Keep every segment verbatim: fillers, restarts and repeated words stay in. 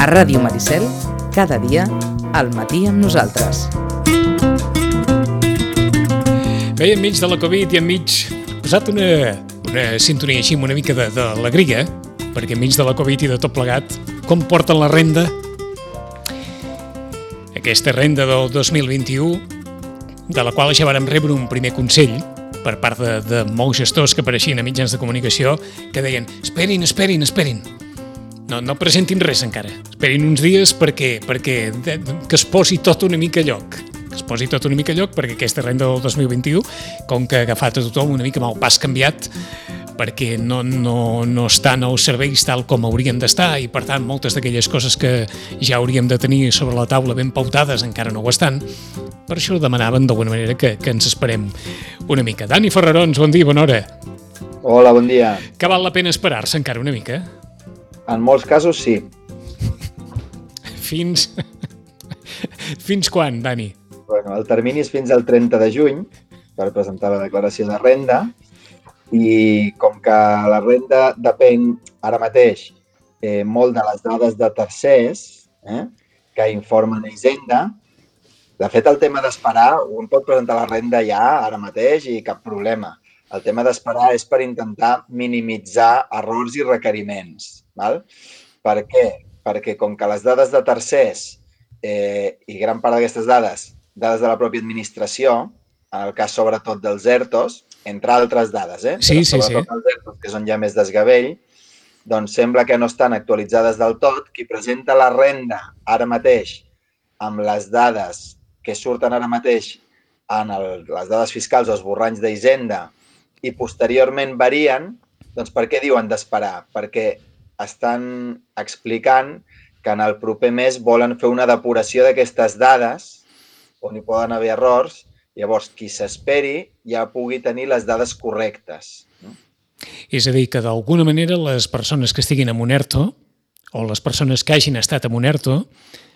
A Ràdio Maricel, cada dia, al matí amb nosaltres. Bé, enmig de la Covid i enmig he posat una, una sintonia així una mica de, de alegria, perquè enmig de la Covid i de tot plegat, com porten la renda? Aquesta renda del dos mil vint-i-u, de la qual ja vàrem rebre un primer consell per part de, de molts gestors que apareixien a mitjans de comunicació que deien, esperin, esperin, esperin. No, no presentin res encara. Esperin uns dies perquè, perquè de, de, que es posi tot una mica a lloc. Que es posi tot una mica a lloc perquè aquesta renda del dos mil vint-i-u, com que ha agafat a tothom una mica amb el pas canviat, perquè no, no, no estan els serveis tal com haurien d'estar i, per tant, moltes d'aquelles coses que ja hauríem de tenir sobre la taula ben pautades encara no ho estan. Per això demanaven d'alguna manera que, que ens esperem una mica. Dani Ferrarons, bon dia, bona hora. Hola, bon dia. Que val la pena esperar-se encara una mica? En molts casos, sí. Fins... Fins quan, Dani? Bueno, el termini és fins al trenta de juny per presentar la declaració de renda i com que la renda depèn ara mateix eh, molt de les dades de tercers eh, que informen a Hisenda, de fet el tema d'esperar, un pot presentar la renda ja ara mateix i cap problema. El tema d'esperar és per intentar minimitzar errors i requeriments. Val? Per què? Perquè com que les dades de tercers eh, i gran part d'aquestes dades, dades de la pròpia administració, en el cas sobretot dels ERTOs, entre altres dades, eh? Sí, sí, sí. Els ERTOs, que són ja més desgavell, doncs sembla que no estan actualitzades del tot. Qui presenta la renda ara mateix amb les dades que surten ara mateix en el, les dades fiscals o esborranys d'Hisenda i posteriorment varien, doncs per què diuen d'esperar? Perquè estan explicant que en el proper mes volen fer una depuració d'aquestes dades on hi poden haver errors, llavors qui s'esperi ja pugui tenir les dades correctes. No? És a dir, que d'alguna manera les persones que estiguin en un ERTO o les persones que hagin estat en un ERTO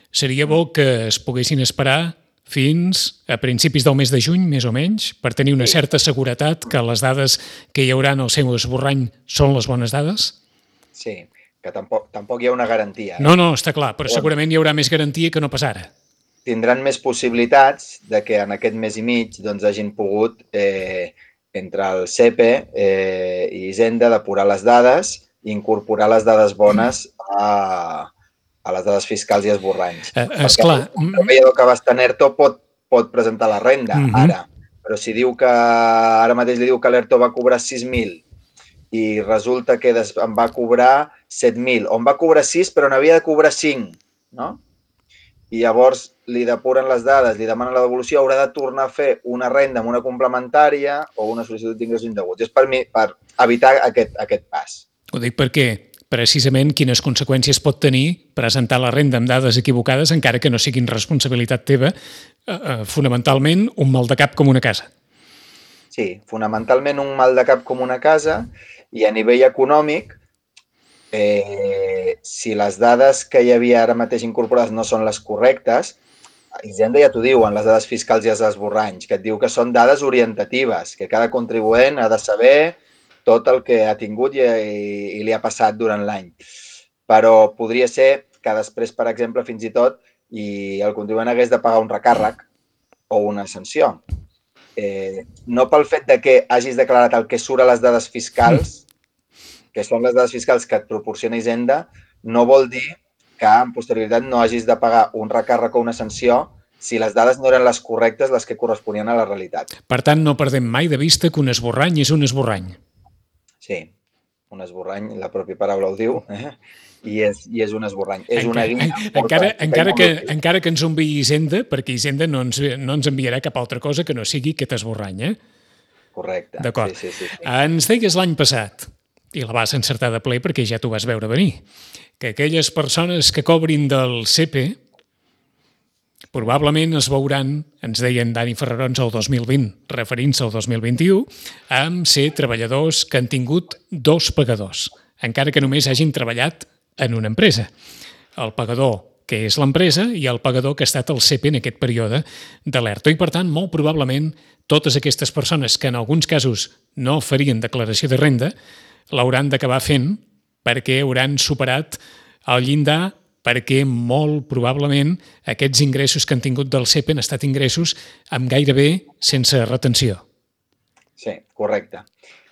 seria bo que es poguessin esperar fins a principis del mes de juny, més o menys, per tenir una certa seguretat que les dades que hi haurà en el seu esborrany són les bones dades? Sí, que tampoc, tampoc hi ha una garantia. Eh? No, no, està clar, però segurament hi haurà més garantia que no pas ara. Tindran més possibilitats de que en aquest mes i mig doncs, hagin pogut, eh, entre el C E P E eh, i Hisenda, depurar les dades i incorporar les dades bones a, a les dades fiscals i esborranys. Eh, esclar. El treballador que va estar en ERTO pot, pot presentar la renda, uh-huh. ara. Però si diu que ara mateix li diu que l'ERTO va cobrar sis mil i resulta que en va cobrar set mil, o en va cobrar sis però n'havia de cobrar cinc, no? I llavors li depuren les dades, li demanen la devolució, haurà de tornar a fer una renda amb una complementària o una sol·licitud d'ingressos indeguts. És per mi, per evitar aquest, aquest pas. Ho dic perquè precisament quines conseqüències pot tenir presentar la renda amb dades equivocades encara que no siguin responsabilitat teva, eh, eh, fonamentalment un mal de cap com una casa. Sí, fonamentalment un mal de cap com una casa i a nivell econòmic, eh, si les dades que hi havia ara mateix incorporades no són les correctes, Hisenda ja t'ho diu en les dades fiscals i els esborranys, que et diu que són dades orientatives, que cada contribuent ha de saber tot el que ha tingut i, i, i li ha passat durant l'any. Però podria ser que després, per exemple, fins i tot, i el contribuent hagués de pagar un recàrrec o una sanció. Eh, no pel fet de que hagis declarat el que surt a les dades fiscals, que són les dades fiscals que et proporciona Hisenda, no vol dir que en posterioritat no hagis de pagar un recàrrec o una sanció si les dades no eren les correctes, les que corresponien a la realitat. Per tant, no perdem mai de vista que un esborrany és un esborrany. Sí, un esborrany, la pròpia paraula ho diu, eh? I, és, i és un esborrany. És una guia. Encara, encara, que, encara que ens ho enviï Hisenda, perquè Hisenda no ens, no ens enviarà cap altra cosa que no sigui aquest esborrany, eh? Correcte. D'acord. Sí, sí, sí, sí. Ens deies l'any passat, i la vas encertar de ple perquè ja t'ho vas veure venir, que aquelles persones que cobrin del C E P E probablement es veuran, ens deien Dani Ferrarons el dos mil vint, referint-se al dos mil vint-i-u, amb ser treballadors que han tingut dos pagadors, encara que només hagin treballat en una empresa. El pagador, que és l'empresa, i el pagador que ha estat el C E P E en aquest període de l'ERTO. I, per tant, molt probablement, totes aquestes persones que en alguns casos no farien declaració de renda l'hauran d'acabar fent perquè hauran superat el llindar perquè molt probablement aquests ingressos que han tingut del C E P han estat ingressos amb gairebé sense retenció. Sí, correcte.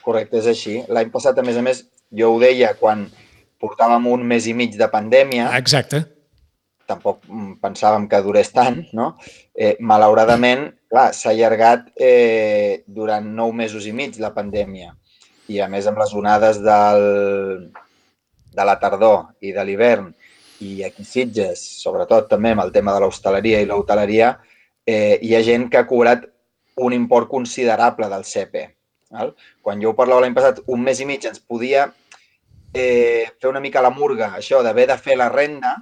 Correcte, és així. L'any passat, a més a més, jo ho deia quan portàvem un mes i mig de pandèmia. Exacte. Tampoc pensàvem que durés tant, no? Eh, malauradament, clar, s'ha allargat eh, durant nou mesos i mig la pandèmia. I a més amb les onades del, de la tardor i de l'hivern i aquí a Sitges, sobretot també amb el tema de l'hostaleria i l'hoteleria, eh, hi ha gent que ha cobrat un import considerable del C E P. Val? Quan jo ho parlava l'any passat, un mes i mig ens podia eh, fer una mica la murga, això d'haver de fer la renda,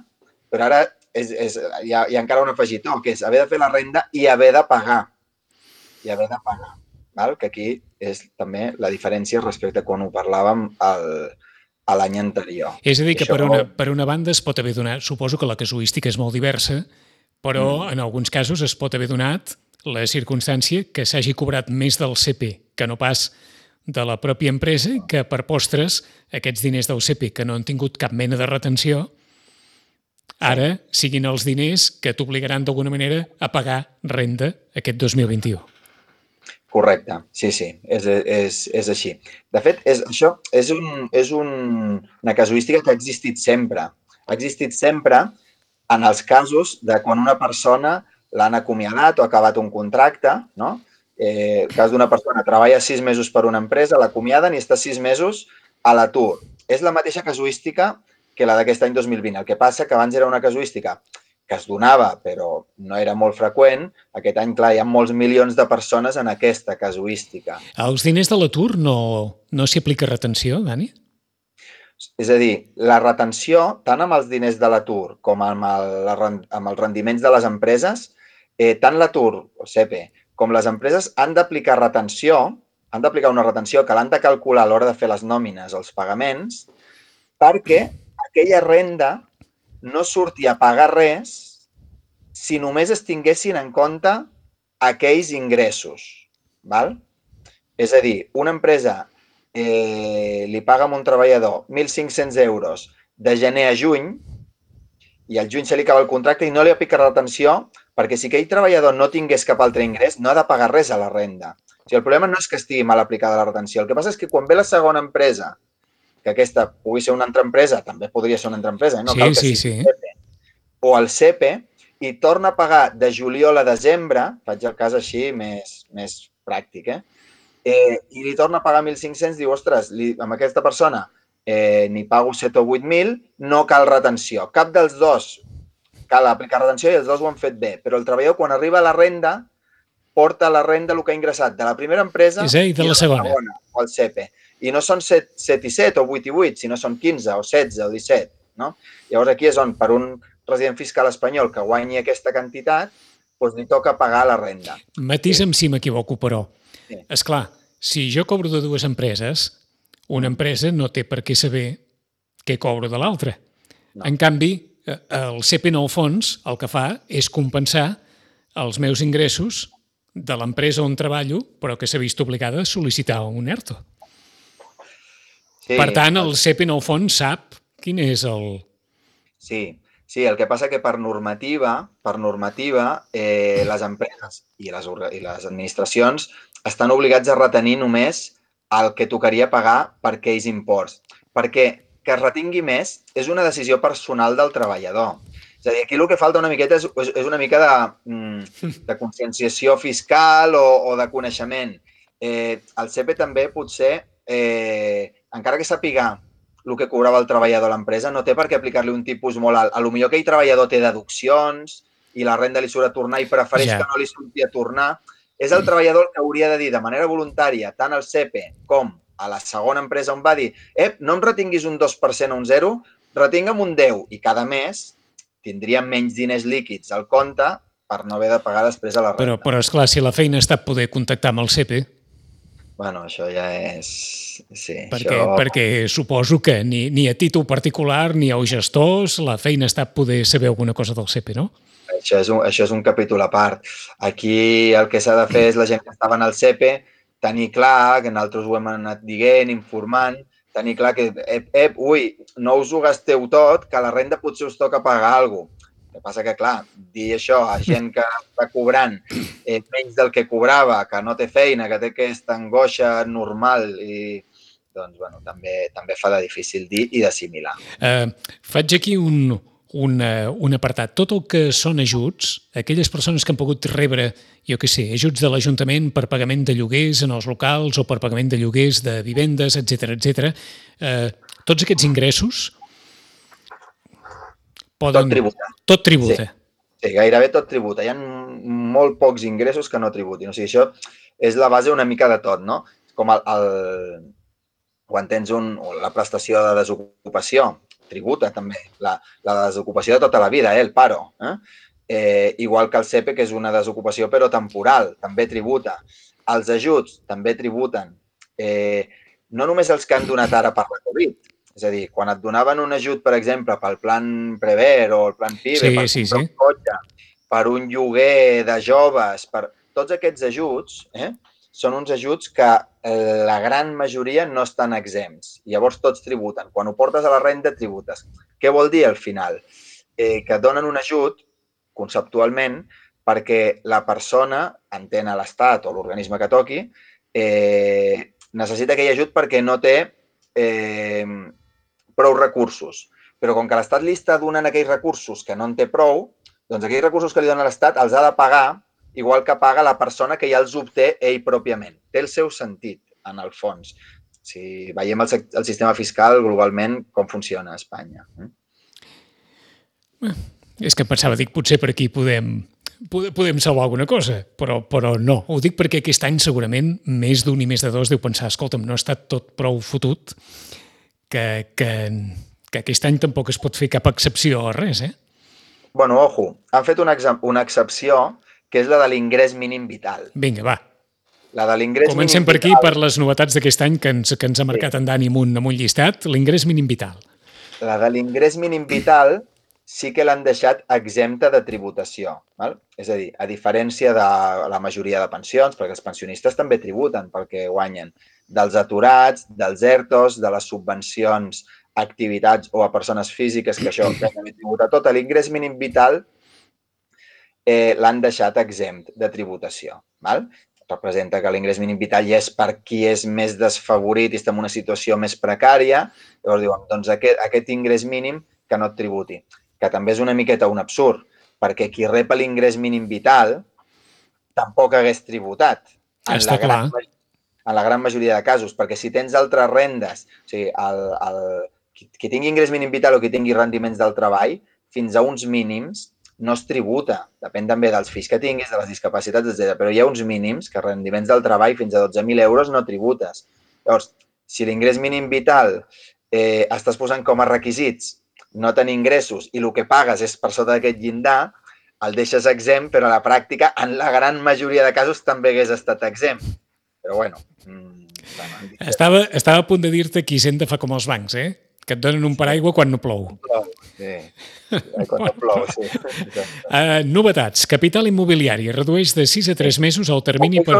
però ara és, és, hi, ha, hi ha encara un afegitó, que és haver de fer la renda i haver de pagar. I haver de pagar. Val? Que aquí és també la diferència respecte a quan ho parlàvem el, a l'any anterior. És a dir, que això... per, una, per una banda es pot haver donat, suposo que la casuística és molt diversa, però mm. en alguns casos es pot haver donat la circumstància que s'hagi cobrat més del C E P que no pas de la pròpia empresa, que per postres aquests diners del C E P que no han tingut cap mena de retenció ara siguin els diners que t'obligaran d'alguna manera a pagar renda aquest dos mil vint-i-u. Correcte, sí, sí, és, és, és així. De fet, és, això és, un, és un, una casuística que ha existit sempre. Ha existit sempre en els casos de quan una persona l'han acomiadat o ha acabat un contracte, no? Eh, el cas d'una persona treballa sis mesos per una empresa, l'acomiaden i està sis mesos a l'atur. És la mateixa casuística que la d'aquest any dos mil vint. El que passa que abans era una casuística que es donava, però no era molt freqüent. Aquest any, clar, hi ha molts milions de persones en aquesta casuística. Als diners de l'atur no, no s'hi aplica retenció, Dani? És a dir, la retenció, tant amb els diners de l'atur com amb, el, amb els rendiments de les empreses, eh, tant l'atur, o C E P, com les empreses han d'aplicar retenció, han d'aplicar una retenció que l'han de calcular a l'hora de fer les nòmines o els pagaments, perquè aquella renda no surti a pagar res si només es tinguessin en compte aquells ingressos. Val? És a dir, una empresa eh, li paga a un treballador mil cinc-cents euros de gener a juny i al juny se li acaba el contracte i no li aplica retenció perquè si aquell treballador no tingués cap altre ingrés no ha de pagar res a la renda. O sigui, el problema no és que estigui mal aplicada la retenció. El que passa és que quan ve la segona empresa, que aquesta pugui ser una altra empresa, també podria ser una altra empresa, eh? No sí, cal que sí, sigui sí. C E P, o el C E P, i torna a pagar de juliol a desembre, faig el cas així més, més pràctic, eh? Eh, i li torna a pagar mil cinc-cents, diu, ostres, li, amb aquesta persona eh, n'hi pago set o vuit mil, no cal retenció. Cap dels dos cal aplicar retenció i els dos ho han fet bé, però el treballador quan arriba a la renda porta la renda el que ha ingressat de la primera empresa sí, i de la segona. segona, o el C E P. I no són set i set o vuit i vuit, sinó són quinze o setze o disset. No? Llavors aquí és on per un resident fiscal espanyol que guanyi aquesta quantitat, doncs li toca pagar la renda. Matisa'm si m'equivoco, però. Sí. Esclar, si jo cobro de dues empreses, una empresa no té per què saber què cobro de l'altra. No. En canvi, el C E P en el fons el que fa és compensar els meus ingressos de l'empresa on treballo, però que s'ha vist obligada a sol·licitar un ERTO. Sí, per tant, el C E P en el fons sap quin és el... Sí, sí, el que passa que per normativa, per normativa eh, les empreses i les, i les administracions estan obligats a retenir només el que tocaria pagar per aquells imports. Perquè que es retingui més és una decisió personal del treballador. És a dir, aquí el que falta una miqueta és, és una mica de, de conscienciació fiscal o, o de coneixement. Eh, el C E P també potser, eh, encara que sàpiga el que cobrava el treballador a l'empresa, no té per què aplicar-li un tipus molt alt. A lo millor aquell treballador té deduccions i la renda li surt a tornar i prefereix ja. que no li surti a tornar. És el treballador que hauria de dir de manera voluntària, tant al C E P com a la segona empresa on va dir eh, no em retinguis un dos per cent o un zero, retingue'm un deu i cada mes tindria menys diners líquids al compte per no haver de pagar després a la renda. Però, però esclar, si la feina està poder contactar amb el C E P... Bueno, això ja és... Sí, perquè, això... perquè suposo que ni, ni a títol particular ni als gestors la feina està poder saber alguna cosa del C E P, no? Això és un, això és un capítol a part. Aquí el que s'ha de fer és la gent que estava en el C E P tenir clar, que nosaltres ho hem anat dient, informant, tenir clar que, ep, ep, ui, no us ho gasteu tot, que a la renda potser us toca pagar alguna cosa. El que passa que, clar, dir això a gent que està cobrant eh, menys del que cobrava, que no té feina, que té aquesta angoixa normal, i doncs, bueno, també, també fa de difícil dir i d'assimilar. Uh, faig aquí un, un, un apartat. Tot el que són ajuts, aquelles persones que han pogut rebre, jo què sé, ajuts de l'Ajuntament per pagament de lloguers en els locals o per pagament de lloguers de vivendes, etcètera, etcètera, uh, tots aquests ingressos poden... Tot tributa. Tot tributa. Sí. Sí, gairebé tot tributa. Hi ha molt pocs ingressos que no tributin. O sigui, això és la base una mica de tot, no? Com el, el, quan tens un, la prestació de desocupació, tributa també. La, la desocupació de tota la vida, eh? El paro. Eh? Eh, igual que el C E P E, que és una desocupació però temporal, també tributa. Els ajuts també tributen. Eh, no només els que han donat ara per la Covid. És a dir, quan et donaven un ajut, per exemple, pel plan Prever o el plan PIBE, sí, per sí, comprar sí. un cotxe, per un lloguer de joves, per... tots aquests ajuts eh, són uns ajuts que la gran majoria no estan exempts. Llavors tots tributen. Quan ho portes a la renda, tributes. Què vol dir al final? Eh, que et donen un ajut, conceptualment, perquè la persona, entén a l'Estat o l'organisme que toqui, eh, necessita aquell ajut perquè no té eh, prou recursos. Però com que l'Estat li està donant aquells recursos que no en té prou, doncs aquells recursos que li dona l'Estat els ha de pagar igual que paga la persona que ja els obté ell pròpiament. Té el seu sentit, en el fons. Si veiem el, el sistema fiscal globalment, com funciona a Espanya. Eh, és que em pensava, dic, potser per aquí podem, podem salvar alguna cosa, però, però no. Ho dic perquè aquest any segurament més d'un i més de dos deu pensar, escolta'm, no ha estat tot prou fotut, que, que, que aquest any tampoc es pot fer cap excepció a res, eh? Bueno, ojo, han fet una, una excepció que és la de l'ingrés mínim vital. Vinga, va. La de l'ingrés mínim vital. Comencem per aquí, per les novetats d'aquest any que ens, que ens ha marcat sí. en Dani amb un, amb un llistat, l'ingrés mínim vital. La de l'ingrés mínim vital sí que l'han deixat exempta de tributació. Val? És a dir, a diferència de la majoria de pensions, perquè els pensionistes també tributen pel que guanyen, dels aturats, dels ERTOs, de les subvencions a activitats o a persones físiques, que això també tributa tot, l'ingrés mínim vital eh, l'han deixat exempt de tributació. Val? Representa que l'ingrés mínim vital ja és per qui és més desfavorit i està en una situació més precària. Llavors diuen, doncs aquest, aquest ingrés mínim que no et tributi. Que també és una miqueta un absurd, perquè qui rep l'ingrés mínim vital tampoc hagués tributat. En Està la gran, clar. En la gran majoria de casos, perquè si tens altres rendes, o sigui, el, el, qui, qui tingui ingrés mínim vital o qui tingui rendiments del treball, fins a uns mínims no es tributa. Depèn també dels fills que tinguis, de les discapacitats, etcètera. Però hi ha uns mínims que rendiments del treball fins a dotze mil euros no tributes. Llavors, si l'ingrés mínim vital eh, estàs posant com a requisits no tenir ingressos i el que pagues és per sota d'aquest llindar, el deixes exempt, però a la pràctica, en la gran majoria de casos, també hagués estat exempt. Però bueno... Mmm, bueno estava, estava a punt de dir-te que Hisenda fa com els bancs, eh? Que et donen un paraigua quan no plou. Plou, sí. Quan no plou, sí. Uh, novetats. Capital immobiliari redueix de sis a tres mesos el termini per...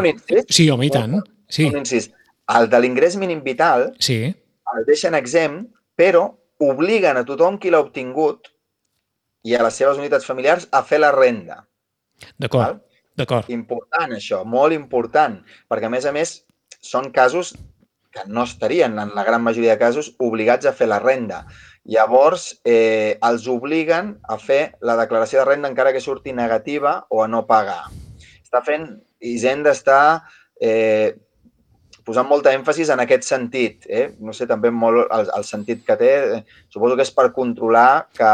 Sí, home, i tant. Sí. Un incís. El de l'ingrés mínim vital sí. el deixen exempt, però obliguen a tothom qui l'ha obtingut i a les seves unitats familiars a fer la renda. D'acord, d'acord. Important això, molt important, perquè a més a més són casos que no estarien, en la gran majoria de casos, obligats a fer la renda. Llavors, eh, els obliguen a fer la declaració de renda encara que surti negativa o a no pagar. Està fent, Hisenda està eh, posant molta èmfasis en aquest sentit. Eh? No sé també molt el, el sentit que té. Eh, suposo que és per controlar que...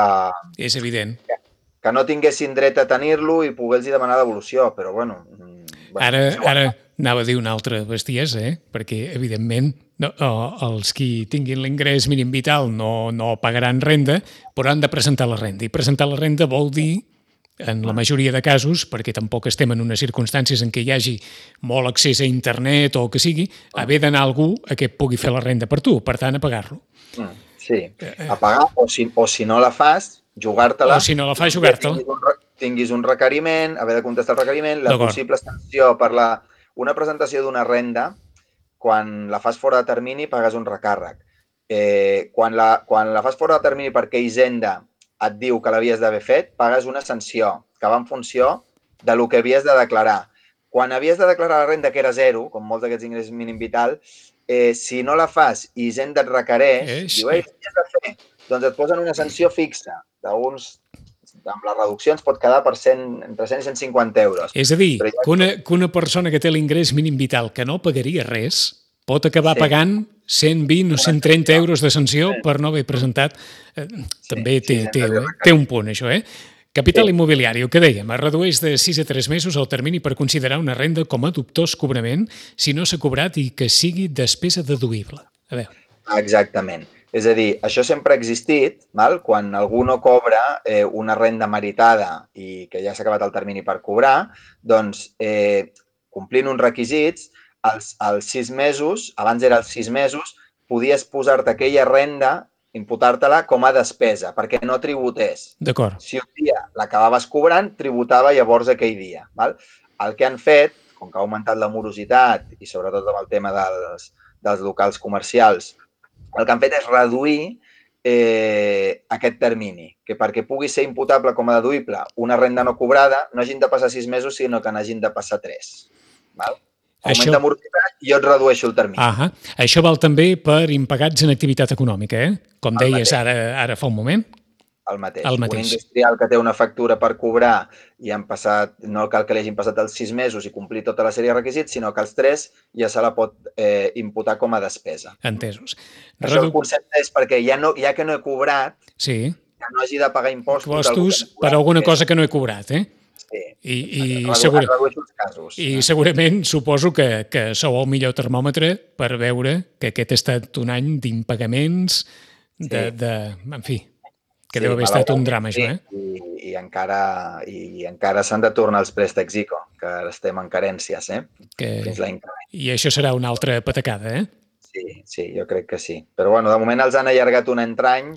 És evident. Que, que no tinguessin dret a tenir-lo i poder-los demanar devolució, però bueno... bueno ara, ara anava a dir una altra bestiesa, eh? Perquè, evidentment, no, els qui tinguin l'ingrés mínim vital no, no pagaran renda, però han de presentar la renda. I presentar la renda vol dir, en la majoria de casos, perquè tampoc estem en unes circumstàncies en què hi hagi molt accés a internet o el que sigui, haver d'anar algú a que pugui fer la renda per tu, per tant, a pagar-lo. Sí, a pagar, o si, o si no la fas, jugar-te-la. O si no la fas, jugar-te-la. Tinguis un, tinguis un requeriment, haver de contestar el requeriment, la possible sanció per la... Una presentació d'una renda, quan la fas fora de termini, pagues un recàrrec. eh, quan, la, quan la fas fora de termini perquè Hisenda et diu que l'havies d'haver fet, pagues una sanció que va en funció de lo que havies de declarar. Quan havies de declarar la renda, que era zero, com molts d'aquests ingressos mínim vital, eh, si no la fas i Hisenda et requereix, és... diu, ei, què has de fer? Doncs et posen una sanció fixa d'uns... Amb les reduccions pot quedar per cent, entre cent i cent cinquanta euros. És a dir, ja... que, una, que una persona que té l'ingrés mínim vital que no pagaria res pot acabar sí. pagant cent vint o cent trenta euros de sanció sí. per no haver presentat. Eh, també sí, té, sí, té, té un punt, això, eh? Capital sí. immobiliari, el que dèiem, es redueix de sis a tres mesos el termini per considerar una renda com a dubtós cobrament si no s'ha cobrat i que sigui despesa deduïble. A veure. Exactament. És a dir, això sempre ha existit, val? Quan algú no cobra eh, una renda meritada i que ja s'ha acabat el termini per cobrar, doncs, eh, complint uns requisits, als, als sis mesos, abans era als sis mesos, podies posar-te aquella renda, imputar-te-la com a despesa, perquè no tributés. D'acord. Si un dia l'acabaves cobrant, tributava llavors aquell dia. Val? El que han fet, com que ha augmentat la morositat i sobretot amb el tema dels, dels locals comercials, el que han fet és reduir eh, aquest termini, que perquè pugui ser imputable com a deduïble una renda no cobrada, no hagin de passar sis mesos, sinó que n'hagin de passar tres. Val? Augmenta Això... morositat i jo et redueixo el termini. Ahà. Això val també per impagats en activitat econòmica, eh? Com el deies ara, ara fa un moment. El mateix. El mateix. Un industrial que té una factura per cobrar i han passat, no cal que li hagin passat els sis mesos i complir tota la sèrie de requisits, sinó que els tres ja se la pot eh, imputar com a despesa. Entesos. Això Redu... el concepte és perquè ja, no, ja que no he cobrat, sí. ja no hagi de pagar impostos. Impostos per alguna cosa que no he cobrat, eh? Sí. I, i, redu segura... casos. I segurament suposo que, que sou el millor termòmetre per veure que aquest ha estat un any d'impagaments, de, sí. de, en fi, que sí, deu haver estat un drama, sí. això, eh? I, i encara, i encara s'han de tornar els préstecs ICO, que estem en carències, eh? Que... Fins l'any que ve. I això serà una altra patacada, eh? Sí, sí, jo crec que sí. Però, bueno, de moment els han allargat un entrany,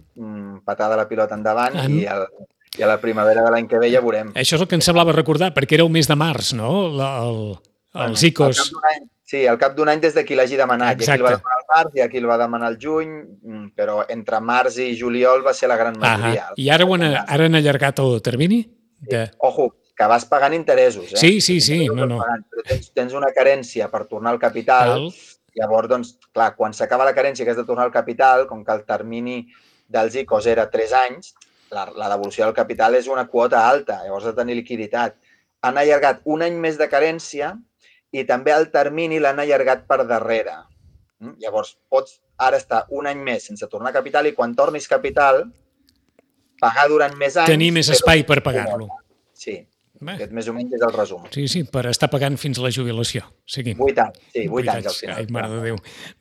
patada la pilota endavant, en... i el... I a la primavera de l'any que ve ja veurem. Això és el que ens semblava recordar, perquè era el mes de març, no? El, el, els ICOs. Any, sí, al cap d'un any des de qui l'hagi demanat. Exacte. I aquí el va demanar al març i aquí el va demanar al juny, però entre març i juliol va ser la gran majoria. Ahà. I ara, han, ara han allargat el termini? De... Sí. Ojo, que vas pagant interessos, eh? Sí, sí, sí. No, no. Però tens, tens una carència per tornar al capital. Cal. Llavors, doncs, clar, quan s'acaba la carència que has de tornar al capital, com que el termini dels ICOs era tres anys, La, la devolució del capital és una quota alta, llavors has de tenir liquiditat. Han allargat un any més de carència i també el termini l'han allargat per darrere. Llavors, pots ara estar un any més sense tornar capital i quan tornis capital, pagar durant més anys... Tenir més espai per pagar-lo. Sí, Bé. Aquest més o menys és el resum. Sí, sí, per estar pagant fins a la jubilació. Seguim. Vuit anys, sí, vuit anys al final. Ai, mare de Déu.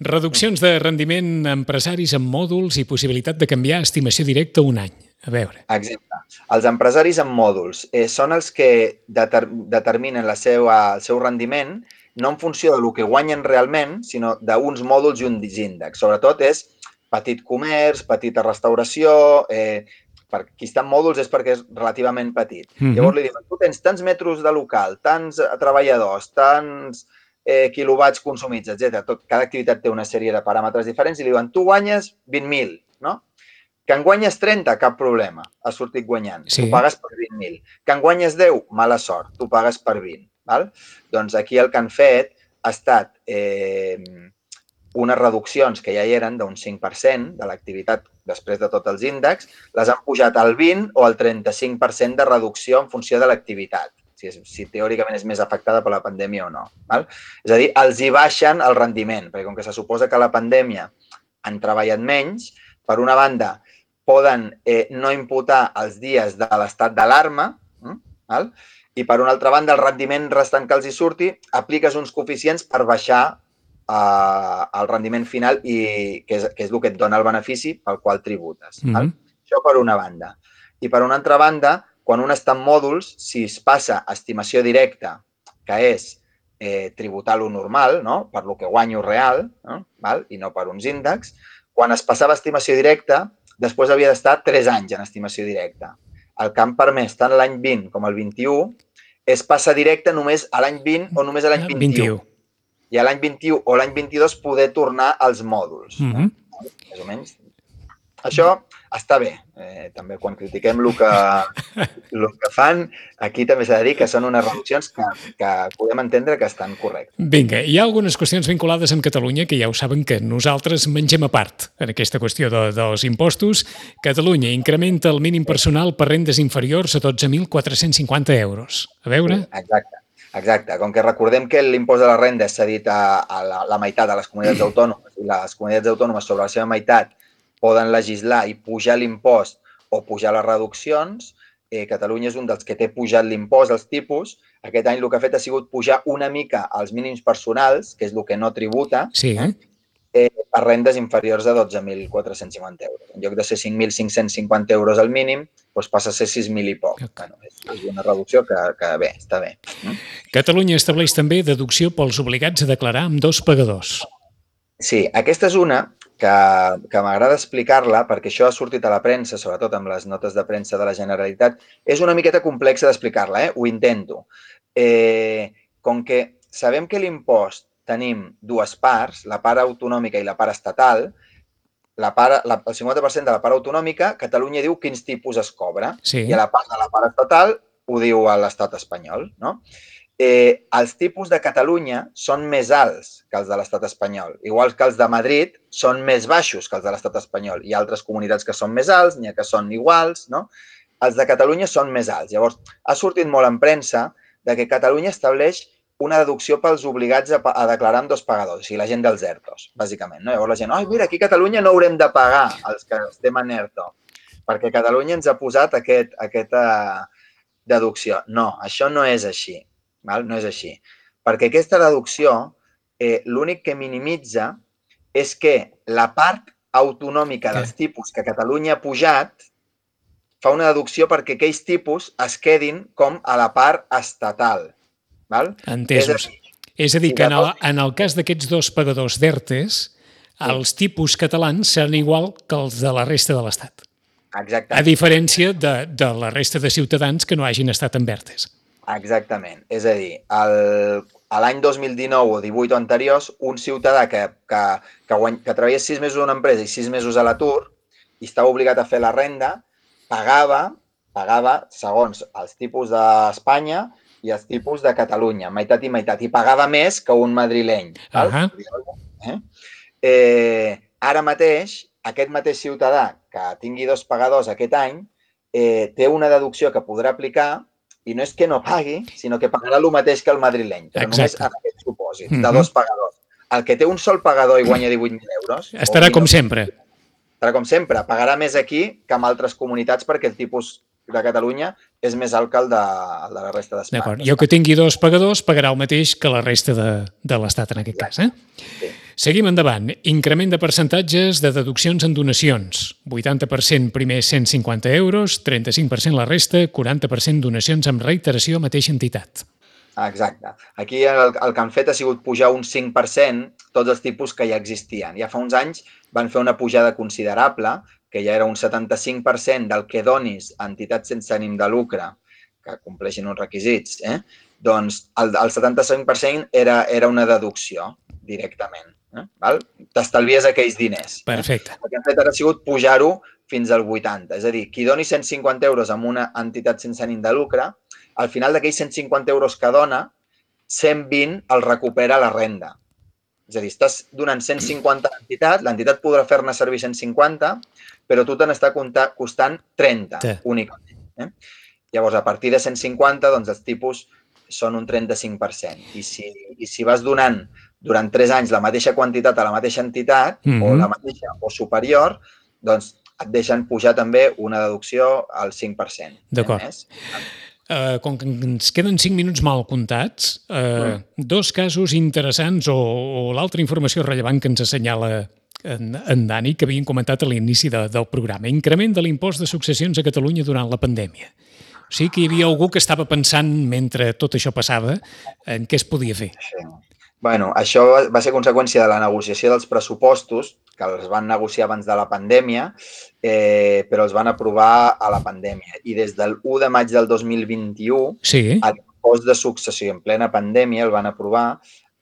Reduccions de rendiment a empresaris amb mòduls i possibilitat de canviar estimació directa un any. A veure. Exacte. Els empresaris amb mòduls eh, són els que deter determinen la seva, el seu rendiment no en funció del que guanyen realment, sinó d'uns mòduls i un índex. Sobretot és petit comerç, petita restauració... Eh, per qui està en mòduls és perquè és relativament petit. Mm-hmm. Llavors li diuen, tu tens tants metres de local, tants treballadors, tants eh, quilowatts consumits, etcètera. Tot, cada activitat té una sèrie de paràmetres diferents i li diuen, tu guanyes vint mil, no? Que en guanyes trenta, cap problema, has sortit guanyant. Sí. Tu pagues per vint mil. Que en guanyes deu, mala sort, tu pagues per vint. Val? Doncs aquí el que han fet ha estat eh, unes reduccions que ja hi eren d'un cinc per cent de l'activitat després de tots els índexs, les han pujat al vint o al trenta-cinc per cent de reducció en funció de l'activitat, si, és, si teòricament és més afectada per la pandèmia o no. Val? És a dir, els hi baixen el rendiment, perquè com que se suposa que la pandèmia han treballat menys, per una banda, poden eh, no imputar els dies de l'estat d'alarma, hm? I per una altra banda, el rendiment restant que els hi surti, apliques uns coeficients per baixar Uh, el rendiment final i que és, que és el que et dona el benefici pel qual tributes. Mm-hmm. Val? Això per una banda. I per una altra banda, quan un està en mòduls, si es passa a estimació directa, que és eh, tributar lo normal, no? Per lo que guanyo real, no? Val? I no per uns índexs, quan es passava a estimació directa, després havia d'estar tres anys en estimació directa. El que han permès tant l'any vint com el vint-i-u és passar directe només a l'any vint o només a l'any vint-i-u. I a l'any vint-i-u o l'any vint-i-dos poder tornar als mòduls. Mm-hmm. més o menys. Això està bé. Eh, també quan critiquem el que, el que fan, aquí també s'ha de dir que són unes reduccions que, que podem entendre que estan correctes. Vinga, hi ha algunes qüestions vinculades amb Catalunya que ja ho saben que nosaltres mengem a part en aquesta qüestió de, dels impostos. Catalunya incrementa el mínim personal per rendes inferiors a dotze mil quatre-cents cinquanta euros. A veure? Sí, exacte. Exacte. Com que recordem que l'impost de la renda és cedit a, a la, la meitat de les comunitats autònomes i les comunitats autònomes sobre la seva meitat poden legislar i pujar l'impost o pujar les reduccions, eh, Catalunya és un dels que té pujat l'impost, els tipus. Aquest any el que ha fet ha sigut pujar una mica els mínims personals, que és el que no tributa, sí. eh, per rendes inferiors a dotze mil quatre-cents cinquanta euros. En lloc de ser cinc mil cinc-cents cinquanta euros al mínim, doncs passa a ser sis mil i poc. Okay. Bueno, és una reducció que, que bé, està bé. Catalunya estableix també deducció pels obligats a declarar amb dos pagadors. Sí, aquesta és una que, que m'agrada explicar-la perquè això ha sortit a la premsa, sobretot amb les notes de premsa de la Generalitat. És una miqueta complexa d'explicar-la, eh? Ho intento. Eh, com que sabem que l'impost tenim dues parts, la part autonòmica i la part estatal, la part, la, el cinquanta per cent de la part autonòmica, Catalunya diu quins tipus es cobra, sí. I a la part de la part estatal ho diu a l'estat espanyol, no? Eh, els tipus de Catalunya són més alts que els de l'estat espanyol, igual que els de Madrid són més baixos que els de l'estat espanyol. Hi ha altres comunitats que són més alts, n'hi ha que són iguals, no? Els de Catalunya són més alts. Llavors, ha sortit molt en premsa de que Catalunya estableix una deducció pels obligats a, a declarar amb dos pagadors, o sigui, la gent dels ERTOs, bàsicament. No? Llavors la gent, ai, mira, aquí a Catalunya no haurem de pagar els que estem en ERTO, perquè Catalunya ens ha posat aquest, aquesta deducció. No, això no és així. Val? No és així. Perquè aquesta deducció, eh, l'únic que minimitza és que la part autonòmica dels tipus que Catalunya ha pujat fa una deducció perquè aquells tipus es quedin com a la part estatal. Val? Entesos. És a dir, és a dir que en el, en el cas d'aquests dos pagadors d'ERTEs, els tipus catalans seran igual que els de la resta de l'Estat. Exactament. A diferència de, de la resta de ciutadans que no hagin estat en ERTEs. Exactament. És a dir, el, a l'any dos mil dinou o divuit o anteriors, un ciutadà que, que, que, guany, que treballés sis mesos a una empresa i sis mesos a l'atur i estava obligat a fer la renda, pagava, pagava segons els tipus d'Espanya i els tipus de Catalunya, meitat i meitat, i pagava més que un madrileny. Val? Uh-huh. eh? Eh, ara mateix, aquest mateix ciutadà que tingui dos pagadors aquest any eh, té una deducció que podrà aplicar i no és que no pagui, sinó que pagarà el mateix que el madrileny, però Exacte. Només en aquest supòsit, de dos pagadors. El que té un sol pagador i guanya divuit mil euros... Estarà com sempre. Estarà com sempre. Pagarà més aquí que en altres comunitats perquè el tipus de Catalunya és més alt que el de, el de la resta d'Espanya. D'acord. Jo que tingui dos pagadors pagarà el mateix que la resta de, de l'Estat en aquest cas. Eh? Sí. Seguim endavant. Increment de percentatges de deduccions en donacions. vuitanta per cent primer cent cinquanta euros, trenta-cinc per cent la resta, quaranta per cent donacions amb reiteració a mateixa entitat. Exacte. Aquí el, el que han fet ha sigut pujar un cinc per cent tots els tipus que ja existien. Ja fa uns anys van fer una pujada considerable, que ja era un setanta-cinc per cent del que donis a entitats sense ànim de lucre, que compleixin uns requisits, eh? Doncs el, el setanta-cinc per cent era, era una deducció directament. Eh? T'estalvies aquells diners. Perfecte. Eh? El que han fet ara ha sigut pujar-ho fins al vuitanta. És a dir, qui doni cent cinquanta euros a una entitat sense ànim de lucre, al final d'aquells cent cinquanta euros que dona, cent vint el recupera la renda. És a dir, estàs donant cent cinquanta a l'entitat, l'entitat podrà fer-ne servir cent cinquanta, però tu te n'està costant trenta, sí. Únicament. Eh? Llavors, a partir de cent cinquanta, doncs els tipus són un trenta-cinc per cent. I si, i si vas donant durant tres anys la mateixa quantitat a la mateixa entitat, mm-hmm. o la mateixa o superior, doncs et deixen pujar també una deducció al cinc per cent. D'acord. Uh, com que ens queden cinc minuts mal comptats, uh, mm. dos casos interessants o, o l'altra informació rellevant que ens assenyala en, en Dani, que havien comentat a l'inici de, del programa. Increment de l'impost de successions a Catalunya durant la pandèmia. O sigui que hi havia algú que estava pensant, mentre tot això passava, en què es podia fer. Sí. Bueno, això va ser conseqüència de la negociació dels pressupostos, que els van negociar abans de la pandèmia, eh, però els van aprovar a la pandèmia. I des del u de maig del dos mil vint-i-u, sí. L'impost de successió en plena pandèmia el van aprovar,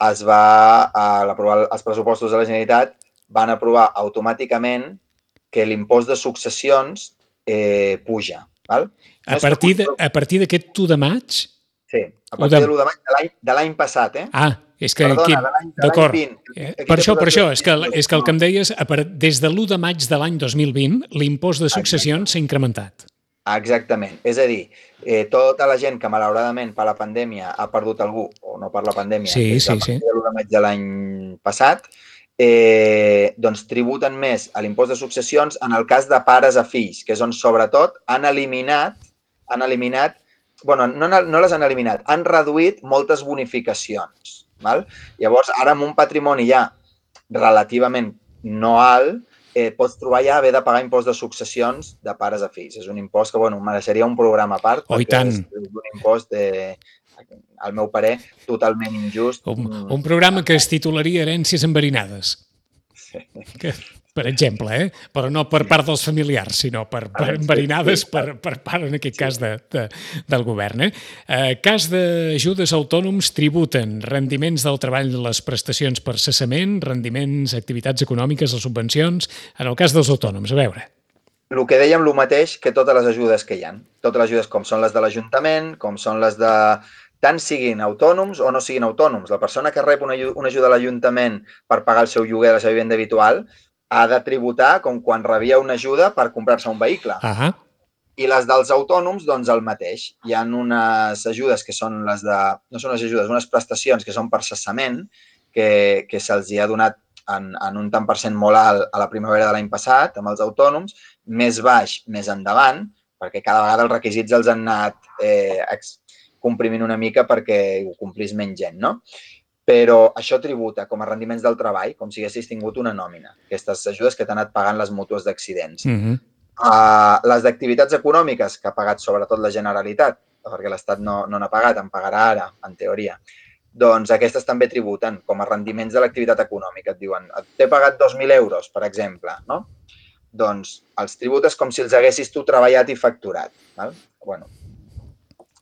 es va, a l'aprovar els pressupostos de la Generalitat, van aprovar automàticament que l'impost de successions eh, puja. Val? A partir de, a partir d'aquest u de maig? Sí, a partir de l'u de maig de l'any passat, eh? Ah, és que... Perdona, de l'any vint. Per això, per això, és que, és que el que em deies, des de l'u de maig de l'any dos mil vint, l'impost de successions s'ha incrementat. Exactament. És a dir, eh, tota la gent que malauradament per la pandèmia ha perdut algú, o no per la pandèmia, sí, des sí, de sí. l'u de maig de l'any passat, eh, doncs tributen més a l'impost de successions en el cas de pares a fills, que és on sobretot han eliminat, han eliminat, bueno, no, no les han eliminat, han reduït moltes bonificacions. Val? Llavors, ara amb un patrimoni ja relativament no alt, eh, pots trobar ja haver de pagar impost de successions de pares a fills. És un impost que, bueno, mereixeria un programa a part, oh, perquè és un impost, eh, al meu parer, totalment injust. Un, un programa que es titularia Herències enverinades. Sí. Que, per exemple, eh? Però no per part dels familiars, sinó per, per enverinades per, per part, en aquest cas, de, de, del govern. Eh? Eh, cas d'ajudes autònoms tributen rendiments del treball, les prestacions per cessament, rendiments, activitats econòmiques, les subvencions, en el cas dels autònoms. A veure. El que dèiem, el mateix que totes les ajudes que hi ha. Totes les ajudes com són les de l'Ajuntament, com són les de... tant siguin autònoms o no siguin autònoms. La persona que rep una, una ajuda a l'Ajuntament per pagar el seu lloguer, la seva vivenda habitual, ha de tributar com quan rebia una ajuda per comprar-se un vehicle. Uh-huh. I les dels autònoms, doncs el mateix. Hi ha unes ajudes que són les de... No són les ajudes, unes prestacions que són per cessament, que, que se'ls ha donat en, en un tant per cent molt alt a la primavera de l'any passat, amb els autònoms, més baix més endavant, perquè cada vegada els requisits els han anat eh, comprimint una mica perquè ho complís menys gent, no? Però això tributa com a rendiments del treball, com si haguessis tingut una nòmina. Aquestes ajudes que t'han anat pagant les mútues d'accidents. Uh-huh. uh, les d'activitats econòmiques, que ha pagat sobretot la Generalitat, perquè l'Estat no, no n'ha pagat, en pagarà ara, en teoria, doncs aquestes també tributen com a rendiments de l'activitat econòmica. Et diuen, t'he pagat dos mil euros, per exemple, no? Doncs els tributes com si els haguessis tu treballat i facturat. Val? Bueno,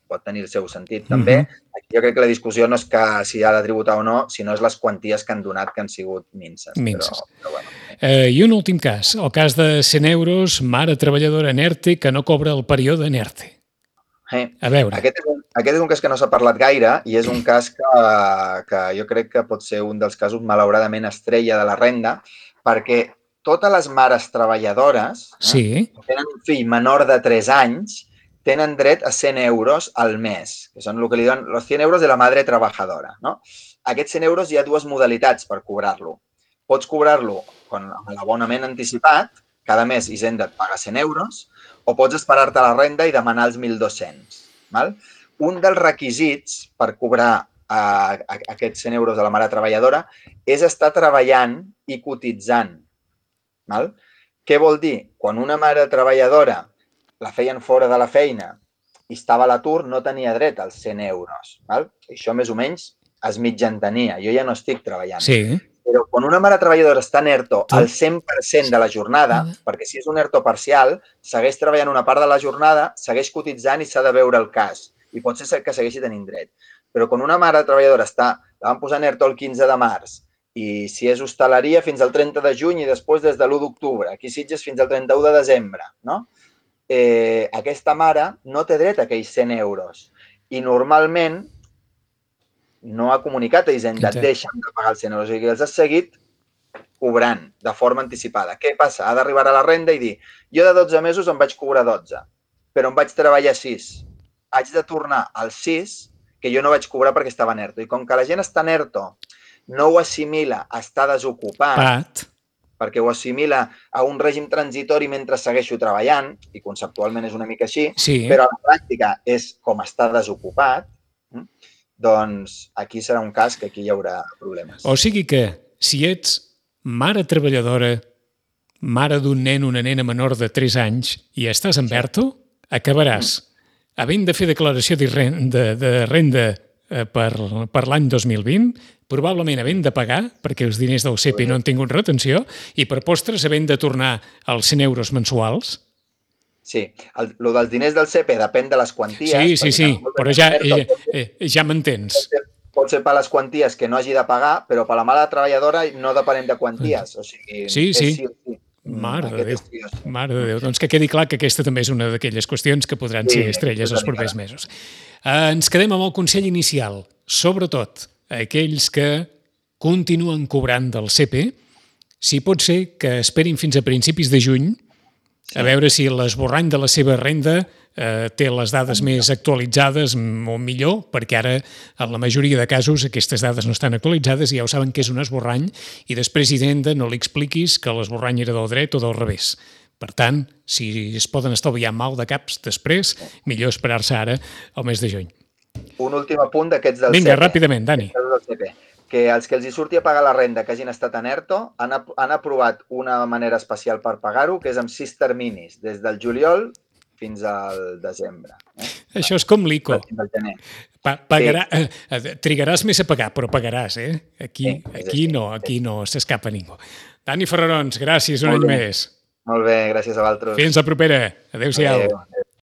pot tenir el seu sentit també. Uh-huh. Jo crec que la discussió no és que si ha de tributar o no, sinó és les quanties que han donat que han sigut minces. Minces. Però, però bueno. eh, I un últim cas, el cas de cent euros, mare treballadora en ERTE que no cobra el període en ERTE. Eh, A veure. Aquest és, un, aquest és un cas que no s'ha parlat gaire i és un cas que, que jo crec que pot ser un dels casos malauradament estrella de la renda, perquè totes les mares treballadores sí. eh, que tenen un fill menor de tres anys tenen dret a cent euros al mes, que són el que li diuen els cent euros de la madre trabajadora. No? Aquests cent euros hi ha dues modalitats per cobrar-lo. Pots cobrar-lo amb l'abonament anticipat, cada mes Hisenda et paga cent euros, o pots esperar-te la renda i demanar els mil dos-cents. Val? Un dels requisits per cobrar eh, aquests cent euros de la mare treballadora és estar treballant i cotitzant. Val? Què vol dir? Quan una mare treballadora la feien fora de la feina i estava a l'atur, no tenia dret als cent euros. Val? Això més o menys es mitjantenia. Jo ja no estic treballant. Sí. Però quan una mare treballadora està en ERTO al cent per cent de la jornada, perquè si és un ERTO parcial, segueix treballant una part de la jornada, segueix cotitzant i s'ha de veure el cas. I pot ser que segueixi tenint dret. Però quan una mare treballadora està, la van posar en ERTO el quinze de març, i si és hostaleria fins al trenta de juny i després des de l'u d'octubre, aquí Sitges fins al trenta-u de desembre, no? Eh, aquesta mare no té dret a aquells cent euros i normalment no ha comunicat a Hisenda, et deixen de pagar els cent euros i els has seguit cobrant de forma anticipada. Què passa? Ha d'arribar a la renda i dir jo de dotze mesos em vaig cobrar dotze, però em vaig treballar sis. Haig de tornar als sis que jo no vaig cobrar perquè estava en ERTO. I com que la gent està en ERTO, no ho assimila a estar desocupat, Pat. perquè ho assimila a un règim transitori mentre segueixo treballant, i conceptualment és una mica així, sí. Però a la pràctica és com estar desocupat, doncs aquí serà un cas que aquí hi haurà problemes. O sigui que, si ets mare treballadora, mare d'un nen o una nena menor de tres anys i estàs en ERTO, acabaràs havent de fer declaració de renda, de renda per, per l'any dos mil vint, probablement havent de pagar, perquè els diners del C E P I no han tingut retenció, i per postres havent de tornar els cent euros mensuals. Sí, el, el dels diners del C E P I depèn de les quanties. Sí, sí, sí, però ja, ja, ja m'entens. pot ser per les quanties que no hagi de pagar, però per la mala treballadora no depenem de quanties. O sigui, sí, sí. sí, sí. Mare de Déu, mare de Déu. Doncs que quedi clar que aquesta també és una d'aquelles qüestions que podran sí, ser estrelles els propers mesos. Uh, ens quedem amb el consell inicial. Sobretot, aquells que continuen cobrant del C P, si pot ser que esperin fins a principis de juny a veure si l'esborrany de la seva renda eh, té les dades més actualitzades o millor, perquè ara en la majoria de casos aquestes dades no estan actualitzades i ja ho saben que és un esborrany i després, Hisenda, no li expliquis que l'esborrany era del dret o del revés. Per tant, si es poden estalviar mal de caps després, millor esperar-se ara al mes de juny. Un últim apunt d'aquests del Vinga, C P. ràpidament, Dani. Que els que els hi surti a pagar la renda que hagin estat en ERTO han, han aprovat una manera especial per pagar-ho, que és amb sis terminis, des del juliol fins al desembre. Eh? Això és com l'I C O. Pa pagarà, sí. eh, trigaràs més a pagar, però pagaràs, eh? Aquí, sí, aquí no, aquí no s'escapa ningú. Dani Ferrarons, gràcies un any més. Molt bé, gràcies a vosaltres. Fins la propera. Adéu-siau. Adéu.